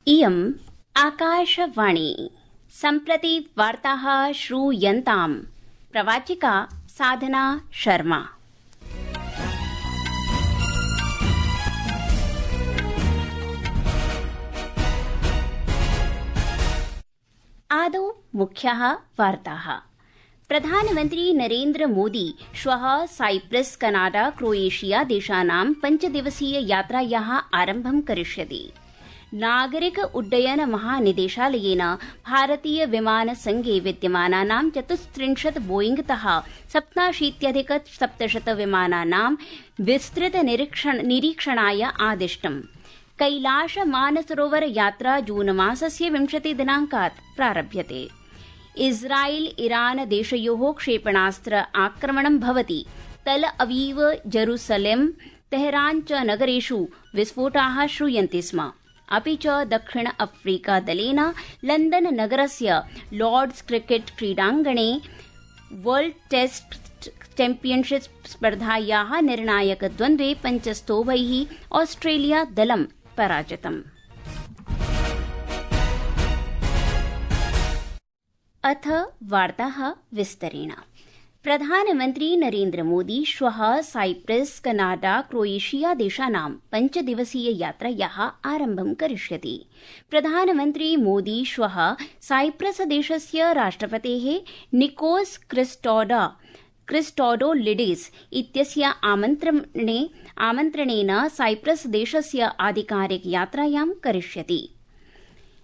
इयम् आकाशवाणी। सम्प्रति वार्ताः श्रूयन्ताम्। प्रवाचिका साधना शर्मा। आदौ मुख्याः वार्ताः। प्रधानमन्त्री नरेन्द्र मोदी श्वः साइप्रस, कनाडा, क्रोएशिया देशानां 5 दिवसीय यात्रायाः आरम्भं करिष्यति। नागरिक उड्डयन महानिदेशालयेन भारतीय विमान संघे विद्यमानानां 34 बोईंगतः 87,700 विमानानां विस्तृत निरीक्षणाय आदिष्टम्। कैलाश मानसरोवर यात्रा जून मासस्य 20 दिनांकात् प्रारभ्यते। इस्राइल ईरान देशयोः क्षेपणास्त्र आक्रमणं भवति। तल अवीव, जेरूसलेम, तेहरान च नगरेषु विस्फोटाः श्रूयन्ते स्म। अपि च दक्षिण अफ्रीका दलेन लंदन नगरस्य लॉर्ड्स क्रिकेट क्रीडाङ्गणे वर्ल्ड टेस्ट चैम्पियनशिप स्पर्धायाः निर्णायक द्वन्द्वे 5 स्तोभैः ऑस्ट्रेलिया दलं पराजितम्। अथ वार्ताः विस्तरेण। प्रधानमन्त्री नरेन्द्र मोदी श्वः साइप्रस, कनाडा, क्रोएशिया देशानां 5 दिवसीय यात्रायाः आरम्भं करिष्यति। प्रधानमन्त्री मोदी श्वः साइप्रस देशस्य राष्ट्रपतेः निकोस क्रिस्टोडोलिडिस इत्यस्य आमन्त्रणेन साइप्रस देशस्य आधिकारिक यात्रायां करिष्यति।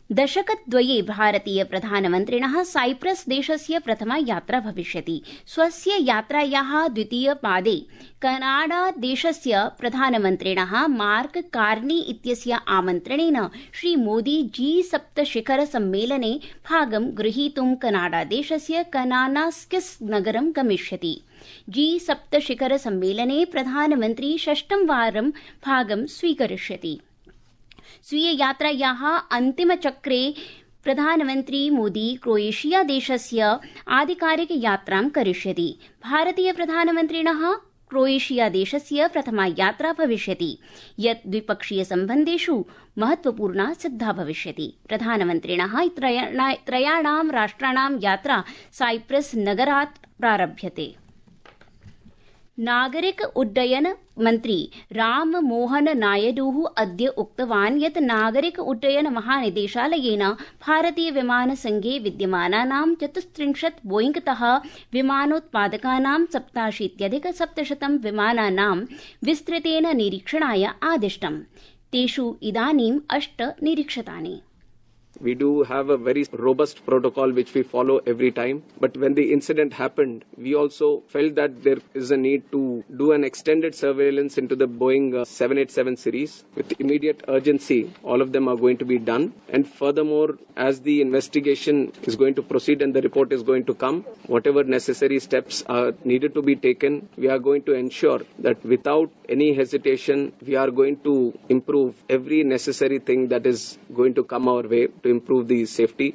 दशकद्वये भारतीय प्रधानमन्त्रिणः साइप्रस देशस्य प्रथमा यात्रा भविष्यति। स्वस्य यात्रायाः द्वितीय पादे कनाडा देशस्य प्रधानमन्त्रिणः मार्क कार्नी इत्यस्य आमन्त्रणेन श्रीमोदी G7 शिखर सम्मेलने भागं गृहीतुं कनाडा देशस्य कनानास्किस नगरं गमिष्यति। G7 शिखर सम्मेलने प्रधानमन्त्री 6. वारं भागं स्वीकरिष्यति। स्वीय यात्रायाः अन्तिमचक्रे प्रधानमन्त्री मोदी क्रोएशिया देशस्य आधिकारिक यात्रां करिष्यति। भारतीय प्रधानमन्त्रिणः क्रोएशिया देशस्य प्रथमा यात्रा भविष्यति, यत् द्विपक्षीय सम्बन्धेषु महत्वपूर्णा सिद्धा भविष्यति। प्रधानमन्त्रिणः त्रयाणां राष्ट्राणां यात्रा साइप्रस नगरात् प्रारभ्यते। नागरिक उड्डयन मन्त्री राममोहन नायडुः अद्य उक्तवान् यत् नागरिक उड्डयन महानिदेशालयेन भारतीय विमान संघे विद्यमानानां 34 बोईंगतः विमानोत्पादकानां 87,700 विमानानां विस्तृतेन निरीक्षणाय आदिष्टम्। तेषु इदानीं 8 निरीक्षितानि। We do have a very robust protocol which we follow every time. But when the incident happened, we also felt that there is a need to do an extended surveillance into the Boeing 787 series. With immediate urgency, all of them are going to be done. And furthermore, as the investigation is going to proceed and the report is going to come, whatever necessary steps are needed to be taken, we are going to ensure that without any hesitation, we are going to improve every necessary thing that is going to come our way to improve the safety.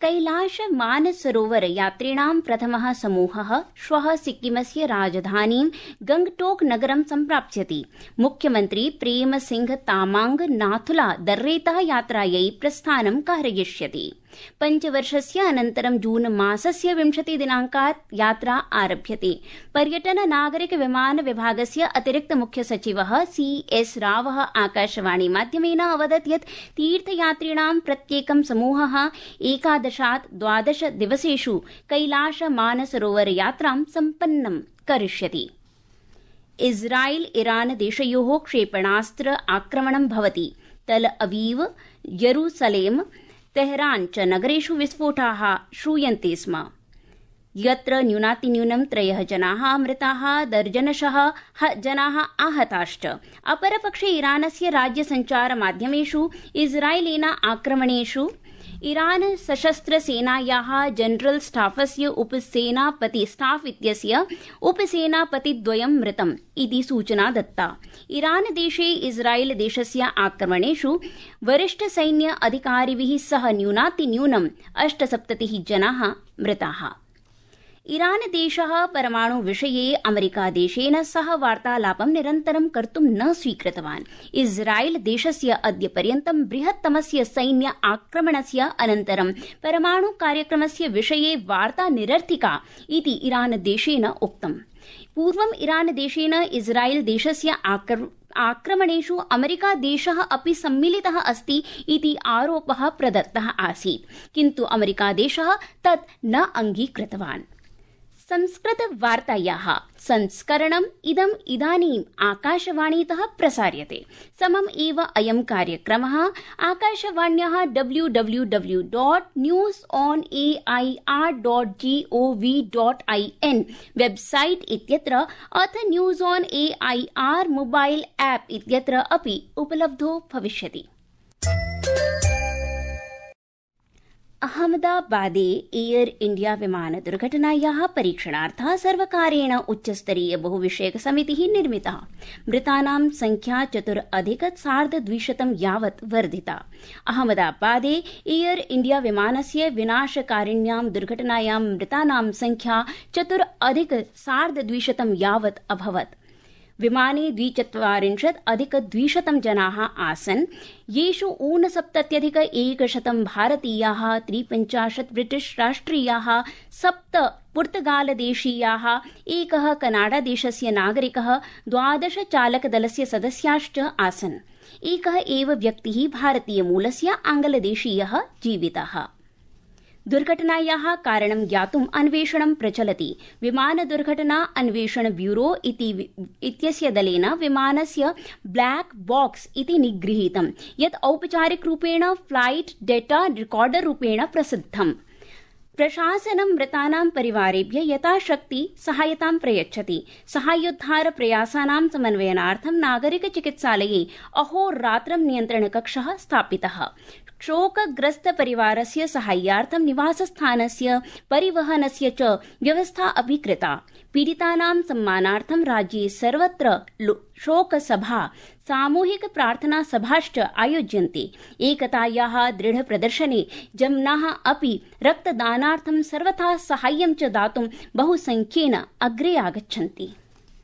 Kailash Mansarovar यात्रिणां प्रथमः समूहः श्वः सिक्किमस्य राजधानीं गंगटोक नगरं सम्प्राप्स्यति। मुख्यमन्त्री प्रेम सिंह तामांग नाथुला दर्रेतः यात्रायै प्रस्थानं कारयिष्यति। 5 वर्षस्य अनन्तरं जून मासस्य 20 दिनांकात् यात्रा आरभ्यते। पर्यटन नागरिक विमान विभागस्य अतिरिक्त मुख्य सचिवः CS रावः आकाशवाणी माध्यमेन अवदत् यत् तीर्थयात्रिणां प्रत्येकं समूहः 11-12 दिवसेषु कैलाश मानसरोवर यात्रां सम्पन्नं करिष्यति। इस्राइल ईरान देशयोः क्षेपणास्त्र आक्रमणं भवति। तल अवीव, जेरूसलेम, तेहरान च नगरेषु विस्फोटाः श्रूयन्ते स्म, यत्र न्यूनातिन्यूनं 3 जनाः मृताः, दर्जनशः जनाः आहताश्च। अपरपक्षे ईरानस्य राज्यसञ्चारमाध्यमेषु इस्राएलेन आक्रमणेषु ईरान सशस्त्र सेनायाः जनरल स्टाफस्य स्टाफ इत्यस्य उपसेनापतिद्वयं मृतम् इति सूचना दत्ता। ईरान देशे इस्राएल देशस्य आक्रमणेषु वरिष्ठ सैन्य अधिकारिभिः सह न्यूनातिन्यूनं 78 जनाः मृताः। ईरानदेशः परमाणु विषये अमेरिकादेशेन सह वार्तालापं निरन्तरं कर्तुं न स्वीकृतवान्। इस्राएल देशस्य अद्य पर्यन्तं बृहत्तमस्य सैन्य आक्रमणस्य अनन्तरं परमाणु कार्यक्रमस्य विषये वार्ता निरर्थिका इति ईरानदेशेन उक्तम्। पूर्वं ईरानदेशेन इस्राएल देशस्य आक्रमणेषु अमेरिकादेशः अपि सम्मिलितः अस्ति इति आरोपः प्रदत्तः आसीत्, किन्तु अमेरिकादेशः तत् न अङ्गीकृतवान्। संस्कृतवार्तायाः संस्करणम् इदानीम् आकाशवाणीतः प्रसार्यते। समम् एव अयं कार्यक्रमः आकाशवाण्याः www.newsonair.gov.in वेबसाइट इत्यत्र अथ news on AIR mobile app इत्यत्र अपि उपलब्धो भविष्यति। अहमदाबादे एयर इंडिया विमान दुर्घटनायाः परीक्षणार्थं सर्वकारेण उच्चस्तरीय बहुविषयक समितिः निर्मिता। मृतानां संख्या 4,200 यावत् वर्धिता। अहमदाबादे एयर इंडिया विमानस्य विनाशकारिण्यां दुर्घटनायां मृतानां संख्या 4,200 यावत् अभवत्। विमाने 42,200 जनाः आसन्, येषु 69,100 भारतीयाः, 53 ब्रिटिश राष्ट्रियाः, 7 पुर्तगालदेशीयाः, 1 कनाडादेशस्य नागरिकः, 12 चालकदलस्य सदस्याश्च आसन्। एकः एव व्यक्तिः भारतीयमूलस्य आङ्ग्लदेशीयः जीवितः। दुर्घटनायाः कारणं ज्ञातुम् अन्वेषणं प्रचलति। विमानदुर्घटना अन्वेषण ब्यूरो इत्यस्य दलेन विमानस्य ब्लैक बॉक्स इति निगृहीतं, यत् औपचारिकरूपेण फ्लाइट डेटा रिकॉर्डर रूपेण प्रसिद्धम्। प्रशासनं मृतानां परिवारेभ्य यथाशक्ति सहायतां प्रयच्छति। सहायोद्धार प्रयासानां समन्वयनार्थं नागरिक चिकित्सालये अहोरात्रं नियन्त्रणकक्षः स्थापितः। शोकग्रस्त परिवारस्य साहाय्यार्थं निवासस्थानस्य परिवहनस्य च व्यवस्था अपि कृता। पीडितानां सम्मानार्थं राज्ये सर्वत्र शोकसभा, सामूहिक प्रार्थना सभाश्च आयोज्यन्ते। एकतायाः दृढप्रदर्शने जनाः अपि रक्तदानार्थं सर्वथा साहाय्यं च दातुं बहुसंख्येन अग्रे आगच्छन्ति।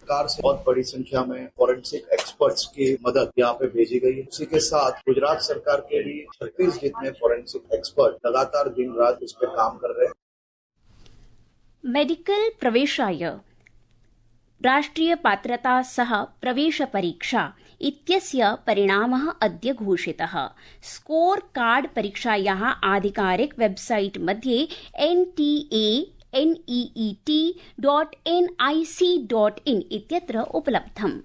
सरकार से बहुत बड़ी संख्या में फॉरेंसिक एक्सपर्ट्स की मदद यहाँ पे भेजी गई है। इसी के साथ गुजरात सरकार के भी 36 जितने फॉरेंसिक एक्सपर्ट लगातार दिन रात इस पे काम कर रहे हैं। मेडिकल प्रवेशाय राष्ट्रीय पात्रता सह प्रवेश परीक्षा इत्यस्य परिणामः अद्य घोषितः। स्कोर कार्ड परीक्षायाः आधिकारिक वेबसाइट मध्ये NEET.nic.in इत्यत्र उपलब्धम्।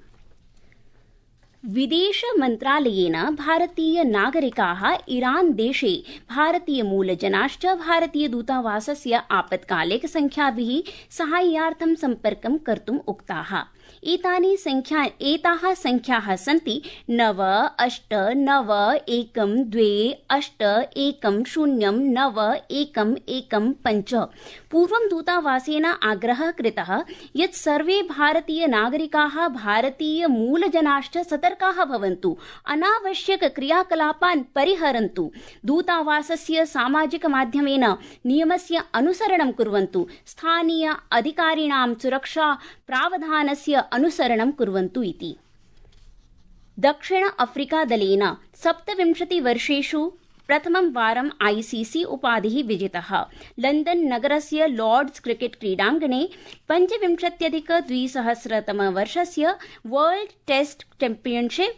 विदेश मन्त्रालयेन भारतीय नागरिकाः ईरान देशे भारतीय मूलजनाश्च भारतीय दूतावासस्य आपत्कालिक संख्याभिः साहाय्यार्थं सम्पर्कं कर्तुम् उक्ताः। एताः संख्याः सन्ति 98128108109115। पूर्वं दूतावासेन आग्रहः कृतः यत् सर्वे भारतीय नागरिकाः भारतीय मूलजनाश्च सतर्काः भवन्तु, अनावश्यक क्रियाकलापान् परिहरन्तु, दूतावासस्य सामाजिक माध्यमेन नियमस्य अनुसरणं कुर्वन्तु, स्थानीय अधिकारिणां सुरक्षा प्रावधानस्य अनुसरणं कुर्वन्तु इति। दक्षिण अफ्रीका दलेन 27 वर्षेषु प्रथमं वारं ICC उपाधिः विजितः। लण्डन नगरस्य लॉर्ड्स क्रिकेट क्रीडाङ्गणे 25,200 वर्षस्य वर्ल्ड टेस्ट चैम्पियनशिप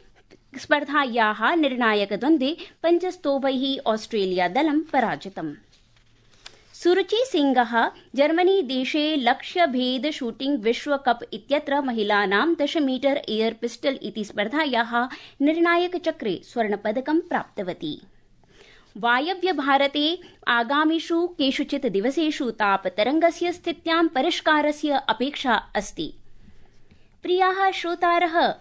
स्पर्धायाः निर्णायकद्वन्द्वे 5 स्तोभैः ऑस्ट्रेलिया दलं पराजितम्। सुरुचि सिंहः जर्मनी देशे लक्ष्यभेद शूटिंग विश्वकप इत्यत्र महिलानां 10 मीटर एयर पिस्टल इति स्पर्धायाः निर्णायकचक्रे स्वर्णपदकं प्राप्तवती। वायव्य भारते आगामिषु केषुचित् दिवसेषु तापतरङ्गस्य स्थित्यां परिष्कारस्य अपेक्षा अस्ति। प्रियाः श्रोतारः,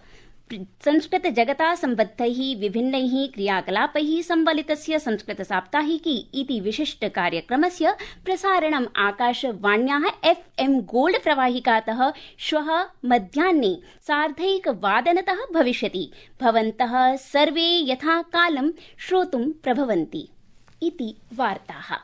संस्कृत जगता सम्बद्धैः विभिन्नैः क्रियाकलापैः सम्बलितस्य संस्कृत साप्ताहिकी इति विशिष्ट कार्यक्रमस्य प्रसारणम् आकाशवाण्याः FM गोल्ड प्रवाहिकातः श्वः मध्याह्ने 1:30 भविष्यति। भवन्तः सर्वे यथा कालं श्रोतुं प्रभवन्ति इति वार्ताः।